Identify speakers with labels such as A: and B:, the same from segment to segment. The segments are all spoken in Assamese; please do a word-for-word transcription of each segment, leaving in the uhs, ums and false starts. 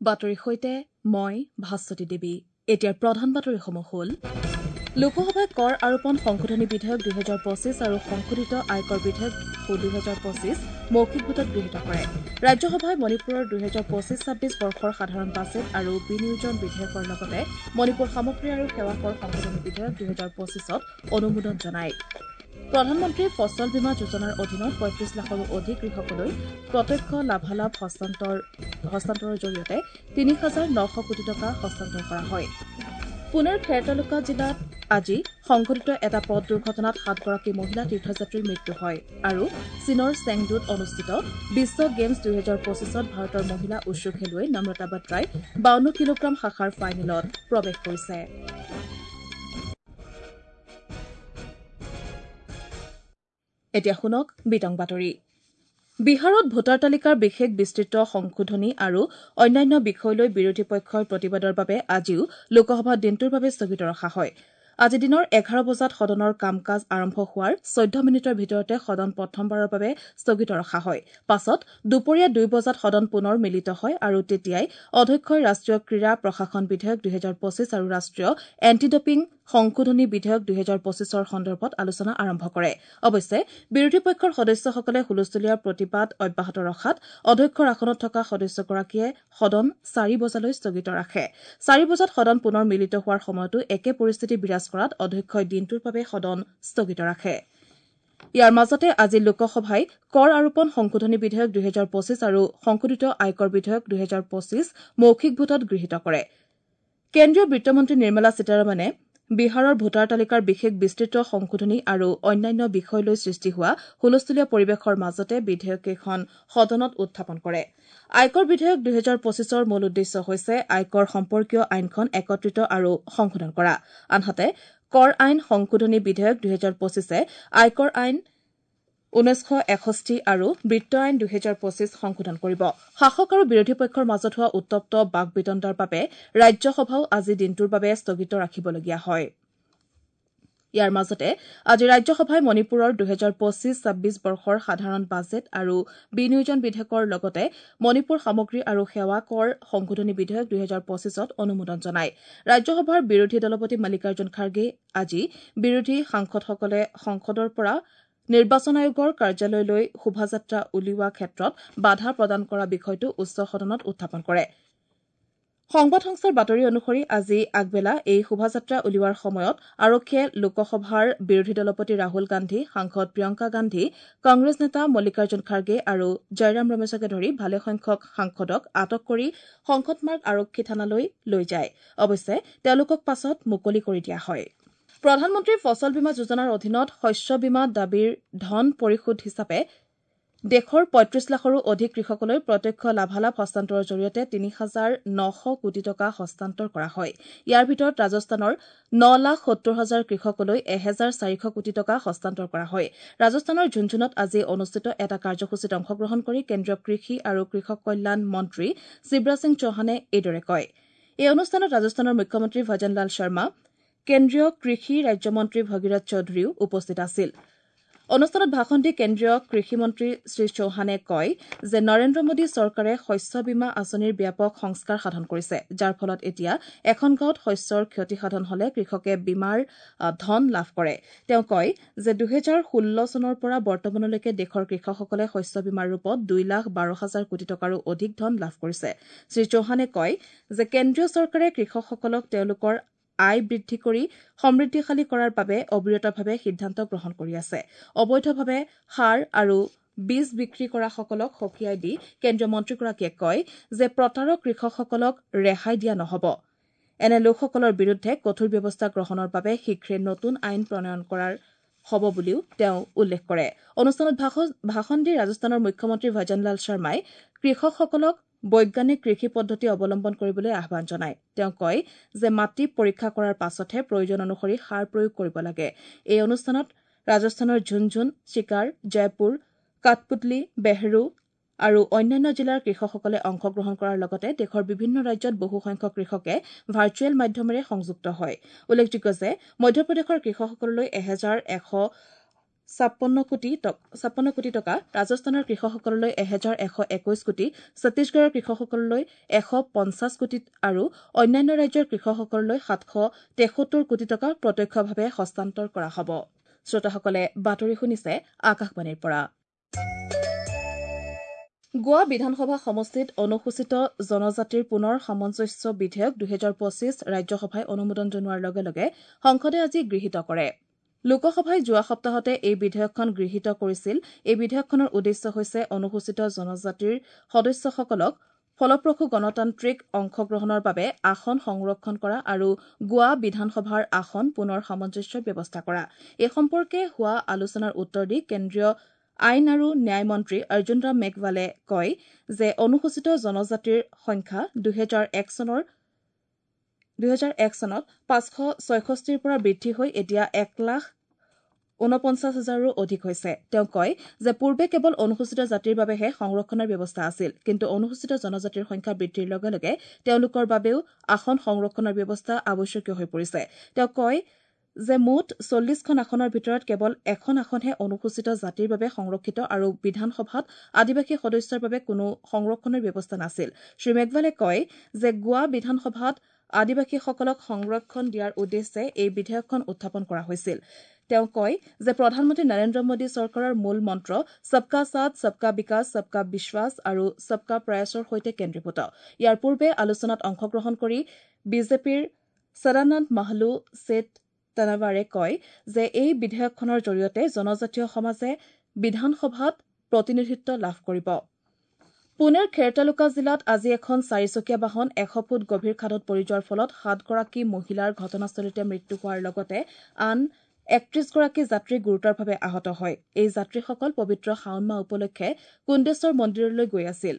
A: বাতৰিৰ সৈতে মই ভাস্বতী দেৱী। এতিয়াৰ প্ৰধান বাতৰিসমূহ হ'ল: লোকসভাই কৰ আৰোপণ সংশোধনী বিধেয়ক দুহেজাৰ পঁচিছ আৰু সংশোধিত আয়কৰ বিধেয়ক দুহেজাৰ পঁচিছ মৌখিক ভোটত গৃহীত কৰে। ৰাজ্যসভাই মণিপুৰৰ দুহেজাৰ পঁচিছ ছাব্বিছ বৰ্ষৰ সাধাৰণ বাজেট আৰু বিনিয়োজন বিধেয়কৰ লগতে মণিপুৰ সামগ্ৰী আৰু সেৱা কৰ সংশোধনী বিধেয়ক দুহেজাৰ পঁচিছত অনুমোদন জনায়। প্ৰধানমন্ত্ৰী ফচল বীমা যোজনাৰ অধীনত পঁয়ত্ৰিশ লাখৰো অধিক কৃষকলৈ প্ৰত্যক্ষ লাভালাভ হস্তান্তৰ হস্তান্তৰৰ জৰিয়তে তিনি হাজাৰ নশ কোটি টকা হস্তান্তৰ কৰা হয়। পুনেৰ খেৰ তালুকা জিলাত আজি সংঘটিত এটা পথ দুৰ্ঘটনাত সাতগৰাকী মহিলা তীৰ্থযাত্ৰীৰ মৃত্যু হয়। আৰু চীনৰ চেংডুত অনুষ্ঠিত বিশ্ব গেমছ দুহেজাৰ পঁচিছত ভাৰতৰ মহিলা উশ্বু খেলুৱৈ নম্ৰতা বাট্ৰাই বাৱন্ন কিলোগ্ৰাম শাখাৰ ফাইনেলত প্ৰৱেশ কৰিছে। এতিয়া শুনক বিতং বাতৰি। বিহাৰত ভোটাৰ তালিকাৰ বিশেষ বিস্তৃত সংশোধনী আৰু অন্যান্য বিষয় লৈ বিৰোধী পক্ষৰ প্ৰতিবাদৰ বাবে আজিও লোকসভা দিনটোৰ বাবে স্থগিত ৰখা হয়। আজি দিনৰ এঘাৰ বজাত সদনৰ কাম কাজ আৰম্ভ হোৱাৰ চৈধ্য মিনিটৰ ভিতৰতে সদন প্ৰথমবাৰৰ বাবে স্থগিত ৰখা হয়। পাছত দুপৰীয়া দুই বজাত সদন পুনৰ মিলিত হয় আৰু তেতিয়াই অধ্যক্ষই ৰাষ্ট্ৰীয় ক্ৰীড়া প্ৰশাসন বিধেয়ক দুহেজাৰ পঁচিছ আৰু ৰাষ্ট্ৰীয় এণ্টি ডপিং সংশোধনী বিধেয়ক দুহেজাৰ পঁচিছৰ সন্দৰ্ভত আলোচনা আৰম্ভ কৰে। অৱশ্যে বিৰোধী পক্ষৰ সদস্যসকলে হুলস্থুলীয়া প্ৰতিবাদ অব্যাহত ৰখাত অধ্যক্ষৰ আসনত থকা সদস্যগৰাকীয়ে সদন চাৰি বজালৈ স্থগিত ৰাখে। চাৰি বজাত সদন পুনৰ মিলিত হোৱাৰ সময়তো একে পৰিস্থিতি বিৰাজ কৰাত অধ্যক্ষই দিনটোৰ বাবে সদন স্থগিত ৰাখে। ইয়াৰ মাজতে আজি লোকসভাই কৰ আৰোপণ সংশোধনী বিধেয়ক দুহেজাৰ পঁচিছ আৰু সংশোধিত আয়কৰ বিধেয়ক দুহেজাৰ পঁচিছ মৌখিক ভোটত গৃহীত কৰে। কেন্দ্ৰীয় বিত্তমন্ত্ৰী নিৰ্মলা সীতাৰমণে বিহাৰৰ ভোটাৰ তালিকাৰ বিশেষ বিস্তৃত সংশোধনী আৰু অন্যান্য বিষয় লৈ সৃষ্টি হোৱা হুলস্থুলীয়া পৰিৱেশৰ মাজতে বিধেয়ককেইখন সদনত উত্থাপন কৰে। আয়কৰ বিধেয়ক দুহেজাৰ পঁচিছৰ মূল উদ্দেশ্য হৈছে আয়কৰ সম্পৰ্কীয় আইনখন একত্ৰিত আৰু সংশোধন কৰা। আনহাতে কৰ আইন সংশোধনী বিধেয়ক দুহেজাৰ পঁচিছে আয়কৰ আইন ঊনৈছশ এষষ্ঠি আৰু বিত্ত আইন দুহেজাৰ পঁচিছ সংশোধন কৰিব। শাসক আৰু বিৰোধী পক্ষৰ মাজত হোৱা উত্তপ্ত বাক বিতণ্ডাৰ বাবে ৰাজ্যসভাও আজি দিনটোৰ বাবে স্থগিত ৰাখিবলগীয়া হয়। ইয়াৰ মাজতে আজি ৰাজ্যসভাই মণিপুৰৰ দুহেজাৰ পঁচিছ ছাব্বিছ বৰ্ষৰ সাধাৰণ বাজেট আৰু বিনিয়োজন বিধেয়কৰ লগতে মণিপুৰ সামগ্ৰী আৰু সেৱা কৰ সংশোধনী বিধেয়ক দুহেজাৰ পঁচিছত অনুমোদন জনায়। ৰাজ্যসভাৰ বিৰোধী দলপতি মল্লিকাৰ্জুন খাৰ্গে আজি বিৰোধী সাংসদসকলে সংসদৰ পৰা নিৰ্বাচন আয়োগৰ কাৰ্যালয়লৈ শোভাযাত্ৰা উলিওৱা ক্ষেত্ৰত বাধা প্ৰদান কৰা বিষয়টো উচ্চ সদনত উত্থাপন কৰে। সংবাদ সংস্থাৰ বাতৰি অনুসৰি আজি আগবেলা এই শোভাযাত্ৰা উলিওৱাৰ সময়ত আৰক্ষীয়ে লোকসভাৰ বিৰোধী দলপতি ৰাহুল গান্ধী, সাংসদ প্ৰিয়ংকা গান্ধী, কংগ্ৰেছ নেতা মল্লিকাৰ্জুন খাৰ্গে আৰু জয়ৰাম ৰমেশকে ধৰি ভালেসংখ্যক সাংসদক আটক কৰি সংসদ মাৰ্গ আৰক্ষী থানালৈ লৈ যায়। অৱশ্যে তেওঁলোকক পাছত মুকলি কৰি দিয়া হয়। প্ৰধানমন্ত্ৰী ফচল বীমা যোজনাৰ অধীনত শস্য বীমা দাবীৰ ধন পৰিশোধ হিচাপে দেশৰ পঁয়ত্ৰিশ লাখৰো অধিক কৃষকলৈ প্ৰত্যক্ষ লাভালাভ হস্তান্তৰৰ জৰিয়তে তিনি হাজাৰ নশ কোটি টকা হস্তান্তৰ কৰা হয়। ইয়াৰ ভিতৰত ৰাজস্থানৰ ন লাখ সত্তৰ হাজাৰ কৃষকলৈ এহেজাৰ চাৰিশ কোটি টকা হস্তান্তৰ কৰা হয়। ৰাজস্থানৰ ঝুনঝুনত আজি অনুষ্ঠিত এটা কাৰ্যসূচীত অংশগ্ৰহণ কৰি কেন্দ্ৰীয় কৃষি আৰু কৃষক কল্যাণ মন্ত্ৰী শিৱৰাজ সিং চৌহানে এইদৰে কয়। এই অনুষ্ঠানত ৰাজস্থানৰ মুখ্যমন্ত্ৰী ভজনলাল শৰ্মা, কেন্দ্ৰীয় কৃষি ৰাজ্যমন্ত্ৰী ভগীৰথ চৌধুৰীও উপস্থিত আছিল। অনুষ্ঠানত ভাষণ দি কেন্দ্ৰীয় কৃষিমন্ত্ৰী শ্ৰী চৌহানে কয় যে নৰেন্দ্ৰ মোদী চৰকাৰে শস্য বীমা আঁচনিৰ ব্যাপক সংস্কাৰ সাধন কৰিছে, যাৰ ফলত এতিয়া এখন গাঁৱত শস্যৰ ক্ষতি সাধন হলে কৃষকে বীমাৰ ধন লাভ কৰে। তেওঁ কয় যে দুহেজাৰ ষোল্ল চনৰ পৰা বৰ্তমানলৈকে দেশৰ কৃষকসকলে শস্য বীমাৰ ৰূপত দুই লাখ বাৰ হাজাৰ কোটি টকাৰো অধিক ধন লাভ কৰিছে। শ্ৰী চৌহানে কয় যে কেন্দ্ৰীয় চৰকাৰে কৃষকসকলক তেওঁলোকৰ আয় বৃদ্ধি কৰি সমৃদ্ধিশালী কৰাৰ বাবে অবিৰতভাৱে সিদ্ধান্ত গ্ৰহণ কৰি আছে। অবৈধভাৱে সাৰ আৰু বীজ বিক্ৰী কৰাসকলক সকীয়াই দি কেন্দ্ৰীয় মন্ত্ৰীগৰাকীয়ে কয় যে প্ৰতাৰক কৃষকসকলক ৰেহাই দিয়া নহ'ব। এনে লোকসকলৰ বিৰুদ্ধে কঠোৰ ব্যৱস্থা গ্ৰহণৰ বাবে শীঘ্ৰে নতুন আইন প্ৰণয়ন কৰাৰ হ'ব বুলিও তেওঁ উল্লেখ কৰে। অনুষ্ঠানত ভাষণ দি ৰাজস্থানৰ মুখ্যমন্ত্ৰী ভজনলাল শৰ্মাই কৃষকসকলক বৈজ্ঞানিক কৃষি পদ্ধতি অৱলম্বন কৰিবলৈ আহ্বান জনায়। তেওঁ কয় যে মাটি পৰীক্ষা কৰাৰ পাছতহে প্ৰয়োজন অনুসৰি সাৰ প্ৰয়োগ কৰিব লাগে। এই অনুষ্ঠানত ৰাজস্থানৰ ঝুনঝুন, চিকাৰ, জয়পুৰ, কাঠপুতলি, বেহৰু আৰু অন্যান্য জিলাৰ কৃষকসকলে অংশগ্ৰহণ কৰাৰ লগতে দেশৰ বিভিন্ন ৰাজ্যত বহুসংখ্যক কৃষকে ভাৰ্চুৱেল মাধ্যমেৰে সংযুক্ত হয়। উল্লেখযোগ্য যে মধ্যপ্ৰদেশৰ কৃষকসকললৈ এহেজাৰ এশ ছাপন্ন কোটি ছাপন্ন কোটি টকা, ৰাজস্থানৰ কৃষকসকললৈ এহেজাৰ এশ একৈশ কোটি, ছত্তীশগড়ৰ কৃষকসকললৈ এশ পঞ্চাছ কোটি আৰু অন্যান্য ৰাজ্যৰ কৃষকসকললৈ সাতশ তেসত্তৰ কোটি টকা প্ৰত্যক্ষভাৱে হস্তান্তৰ কৰা হ'ব। শ্ৰোতাসকলে বাতৰি শুনিছে আকাশবাণীৰ পৰা। গোৱা বিধানসভা সমষ্টিত অনুসূচিত জনজাতিৰ পুনৰ সামঞ্জস্য বিধেয়ক দুহেজাৰ পঁচিছ ৰাজ্যসভাই অনুমোদন জনোৱাৰ লগে লগে সংসদে আজি গৃহীত কৰে। লোকসভাই যোৱা সপ্তাহতে এই বিধেয়কখন গৃহীত কৰিছিল। এই বিধেয়কখনৰ উদ্দেশ্য হৈছে অনুসূচিত জনজাতিৰ সদস্যসকলক ফলপ্ৰসূ গণতান্ত্ৰিক অংশগ্ৰহণৰ বাবে আসন সংৰক্ষণ কৰা আৰু গোৱা বিধানসভাৰ আসন পুনৰ সামঞ্জস্যৰ ব্যৱস্থা কৰা। এই সম্পৰ্কে হোৱা আলোচনাৰ উত্তৰ দি কেন্দ্ৰীয় আইন আৰু ন্যায় মন্ত্ৰী অৰ্জুন ৰাম মেঘৱালে কয় যে অনুসূচিত জনজাতিৰ সংখ্যা দুহেজাৰ এক চনৰ দুহেজাৰ এক চনত পাঁচশ ছয়ষষ্ঠিৰ পৰা বৃদ্ধি হৈ এতিয়া এক লাখ ঊনপঞ্চাছ হাজাৰৰো অধিক হৈছে। তেওঁ কয় যে পূৰ্বে কেৱল অনুসূচিত জাতিৰ বাবেহে সংৰক্ষণৰ ব্যৱস্থা আছিল, কিন্তু অনুসূচিত জনজাতিৰ সংখ্যা বৃদ্ধিৰ লগে লগে তেওঁলোকৰ বাবেও আসন সংৰক্ষণৰ ব্যৱস্থা আৱশ্যকীয় হৈ পৰিছে। তেওঁ কয় যে মুঠ চল্লিছখন আসনৰ ভিতৰত কেৱল এখন আসনহে অনুসূচিত জাতিৰ বাবে সংৰক্ষিত আৰু বিধানসভাত আদিবাসী সদস্যৰ বাবে কোনো সংৰক্ষণৰ ব্যৱস্থা নাছিল। শ্ৰীমেঘৱালে কয় যে গোৱা বিধানসভাত আদিবাসীসকলক সংৰক্ষণ দিয়াৰ উদ্দেশ্যে এই বিধেয়কখন উত্থাপন কৰা হৈছিল। তেওঁ কয় যে প্ৰধানমন্ত্ৰী নৰেন্দ্ৰ মোদী চৰকাৰৰ মূল মন্ত্ৰ সবকা সাথ, সবকা বিকাশ, সবকা বিশ্বাস আৰু সবকা প্ৰয়াসৰ সৈতে কেন্দ্ৰীভূত। ইয়াৰ পূৰ্বে আলোচনাত অংশগ্ৰহণ কৰি বিজেপিৰ সদানন্দ মাহলু ছেঠ তানাৱাৰে কয় যে এই বিধেয়কখনৰ জৰিয়তে জনজাতীয় সমাজে বিধানসভাত প্ৰতিনিধিত্ব লাভ কৰিব। পুনেৰ খেৰ তালুকা জিলাত আজি এখন চাৰিচকীয়া বাহন এশ ফুট গভীৰ খাদত পৰি যোৱাৰ ফলত সাতগৰাকী মহিলাৰ ঘটনাস্থলীতে মৃত্যু হোৱাৰ লগতে আন একত্ৰিশগৰাকী যাত্ৰী গুৰুতৰভাৱে আহত হয়। এই যাত্ৰীসকল পবিত্ৰ শাওণ মাহ উপলক্ষে কুণ্ডেশ্বৰ মন্দিৰলৈ গৈ আছিল।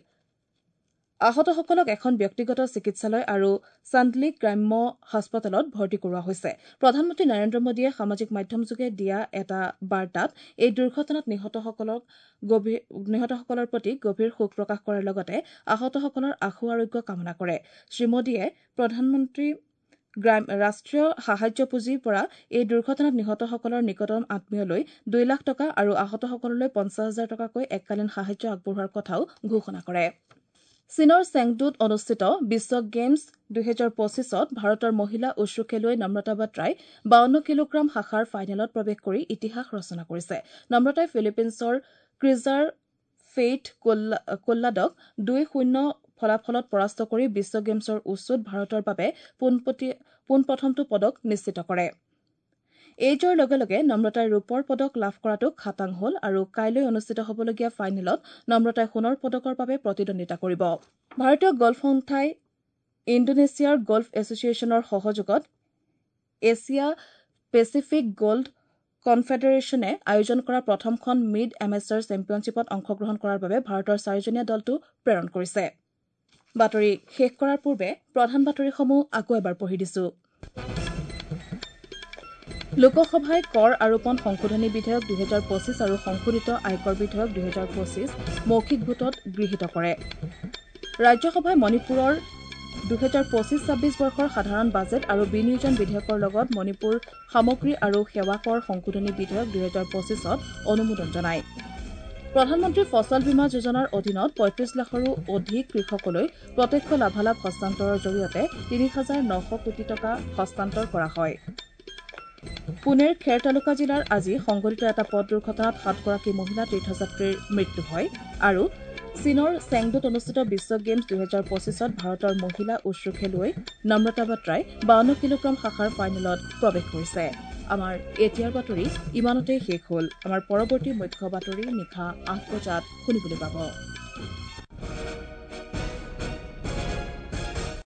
A: আহতসকলক এখন ব্যক্তিগত চিকিৎসালয় আৰু চান্দলি গ্ৰাম্য হাস্পতালত ভৰ্তি কৰোৱা হৈছে। প্ৰধানমন্ত্ৰী নৰেন্দ্ৰ মোদীয়ে সামাজিক মাধ্যমযোগে দিয়া এটা বাৰ্তাত এই দুৰ্ঘটনাত নিহতসকলক গভীৰ নিহতসকলৰ প্ৰতি গভীৰ শোক প্ৰকাশ কৰাৰ লগতে আহতসকলৰ আশু আৰোগ্য কামনা কৰে। শ্ৰীমোদীয়ে প্ৰধানমন্ত্ৰী ৰাষ্ট্ৰীয় সাহায্য পুঁজিৰ পৰা এই দুৰ্ঘটনাত নিহতসকলৰ নিকটতম আত্মীয়লৈ দুই লাখ টকা আৰু আহতসকললৈ পঞ্চাছ হাজাৰ টকাকৈ এককালীন সাহায্য আগবঢ়োৱাৰ কথাও ঘোষণা কৰে। চীনৰ চেংডুত অনুষ্ঠিত বিশ্ব গেমছ দুহেজাৰ পঁচিছত ভাৰতৰ মহিলা উশ্বু খেলুৱৈ নম্ৰতা বাত্ৰাই বাৱন্ন কিলোগ্ৰাম শাখাৰ ফাইনেলত প্ৰৱেশ কৰি ইতিহাস ৰচনা কৰিছে। নম্ৰতাই ফিলিপিনছৰ ক্ৰিজাৰ ফেইথ কোল্লাডক দুই শূন্য ফলাফলত পৰাস্ত কৰি বিশ্ব গেমছৰ উশ্বুত ভাৰতৰ বাবে পোনপ্ৰথমটো পদক নিশ্চিত কৰে। এই জয়ৰ লগে লগে নম্ৰতাই ৰূপৰ পদক লাভ কৰাটো খাটাং হ'ল আৰু কাইলৈ অনুষ্ঠিত হ'বলগীয়া ফাইনেলত নম্ৰতাই সোণৰ পদকৰ বাবে প্ৰতিদ্বন্দ্বিতা কৰিব। ভাৰতীয় গল্ফ সন্থাই ইণ্ডোনেছিয়াৰ গল্ফ এছ'চিয়েশ্যনৰ সহযোগত এছিয়া পেচিফিক গল্ড কনফেডাৰেশ্যনে আয়োজন কৰা প্ৰথমখন মিড এমেচাৰ চেম্পিয়নশ্বিপত অংশগ্ৰহণ কৰাৰ বাবে ভাৰতৰ চাৰিজনীয়া দলটো প্ৰেৰণ কৰিছে। বাতৰি শেষ কৰাৰ পূৰ্বে প্ৰধান বাতৰিসমূহ আকৌ এবাৰ পঢ়ি দিছো। লোকসভাই কৰ আৰোপণ সংশোধনী বিধেয়ক দুহেজাৰ পঁচিছ আৰু সংশোধিত আয়কৰ বিধেয়ক দুহেজাৰ পঁচিছ মৌখিক ভোটত গৃহীত কৰে। ৰাজ্যসভাই মণিপুৰৰ দুহেজাৰ পঁচিছ ছাব্বিছ বৰ্ষৰ সাধাৰণ বাজেট আৰু বিনিয়োজন বিধেয়কৰ লগত মণিপুৰ সামগ্ৰী আৰু সেৱা কৰ সংশোধনী বিধেয়ক দুহেজাৰ পঁচিছত অনুমোদন জনায়। প্ৰধানমন্ত্ৰী ফচল বীমা যোজনাৰ অধীনত পঁয়ত্ৰিশ লাখৰো অধিক কৃষকলৈ প্ৰত্যক্ষ লাভালাভ হস্তান্তৰৰ জৰিয়তে তিনি হাজাৰ নশ কোটি টকা হস্তান্তৰ কৰা হয়। পুনেৰ খেৰ তালুকা জিলাৰ আজি সংঘটিত এটা পথ দুৰ্ঘটনাত সাতগৰাকী মহিলা তীৰ্থযাত্ৰীৰ মৃত্যু হয় আৰু চীনৰ চেংডুত অনুষ্ঠিত বিশ্ব গেমছ দুহেজাৰ পঁচিছত ভাৰতৰ মহিলা উশ্বু খেলুৱৈ নম্ৰতা বাত্ৰাই বাৱন্ন কিলোগ্ৰাম শাখাৰ ফাইনেলত প্ৰৱেশ কৰিছে। আমাৰ এতিয়াৰ বাতৰি ইমানতে শেষ হ'ল। আমাৰ পৰৱৰ্তী মুখ্য বাতৰি নিশা আঠ বজাত শুনিবলৈ পাব।